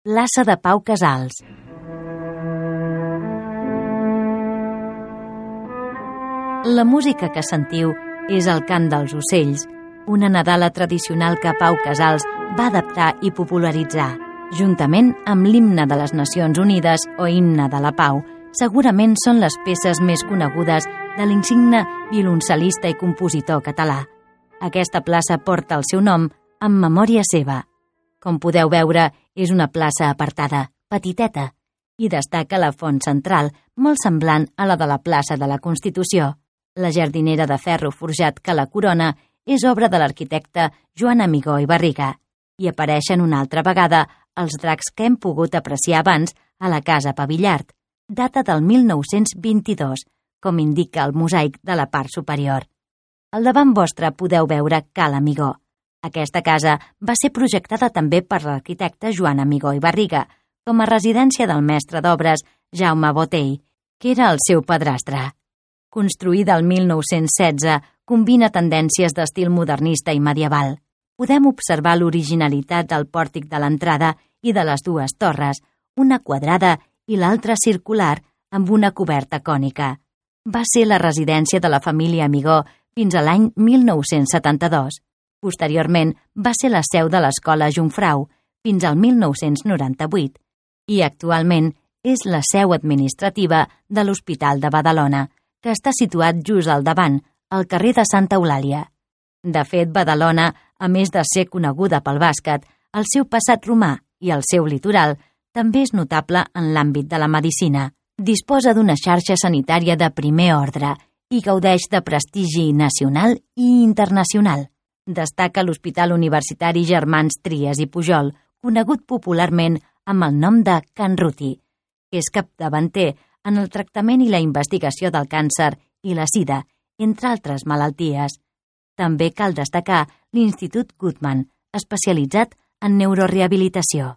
plaça de Pau Casals. La música que sentiu és el cant dels ocells, una nadala tradicional que Pau Casals va adaptar i popularitzar. Juntament amb l'himne de les Nacions Unides o himne de la Pau, segurament són les peces més conegudes de l'insigne violoncel·lista i compositor català. Aquesta plaça porta el seu nom en memòria seva. Com podeu veure, és una plaça apartada, petiteta, i destaca la font central, molt semblant a la de la plaça de la Constitució. La jardinera de ferro forjat que la corona és obra de l'arquitecte Joan Amigó i Barriga i apareixen una altra vegada els dracs que hem pogut apreciar abans a la Casa Pavillart, data del 1922, com indica el mosaic de la part superior. Al davant vostre podeu veure Cal Amigó. Aquesta casa va ser projectada també per l'arquitecte Joan Amigó i Barriga com a residència del mestre d'obres Jaume Botey, que era el seu padrastre. Construïda el 1916, combina tendències d'estil modernista i medieval. Podem observar l'originalitat del pòrtic de l'entrada i de les dues torres, una quadrada i l'altra circular amb una coberta cònica. Va ser la residència de la família Amigó fins a l'any 1972. Posteriorment, va ser la seu de l'Escola Jungfrau fins al 1998 i actualment és la seu administrativa de l'Hospital de Badalona, que està situat just al davant, al carrer de Santa Eulàlia. De fet, Badalona, a més de ser coneguda pel bàsquet, el seu passat romà i el seu litoral també és notable en l'àmbit de la medicina. Disposa d'una xarxa sanitària de primer ordre i gaudeix de prestigi nacional i internacional. Destaca l'Hospital Universitari Germans Trias i Pujol, conegut popularment amb el nom de Can Ruti, que és capdavanter en el tractament i la investigació del càncer i la sida, entre altres malalties. També cal destacar l'Institut Guttmann, especialitzat en neurorehabilitació.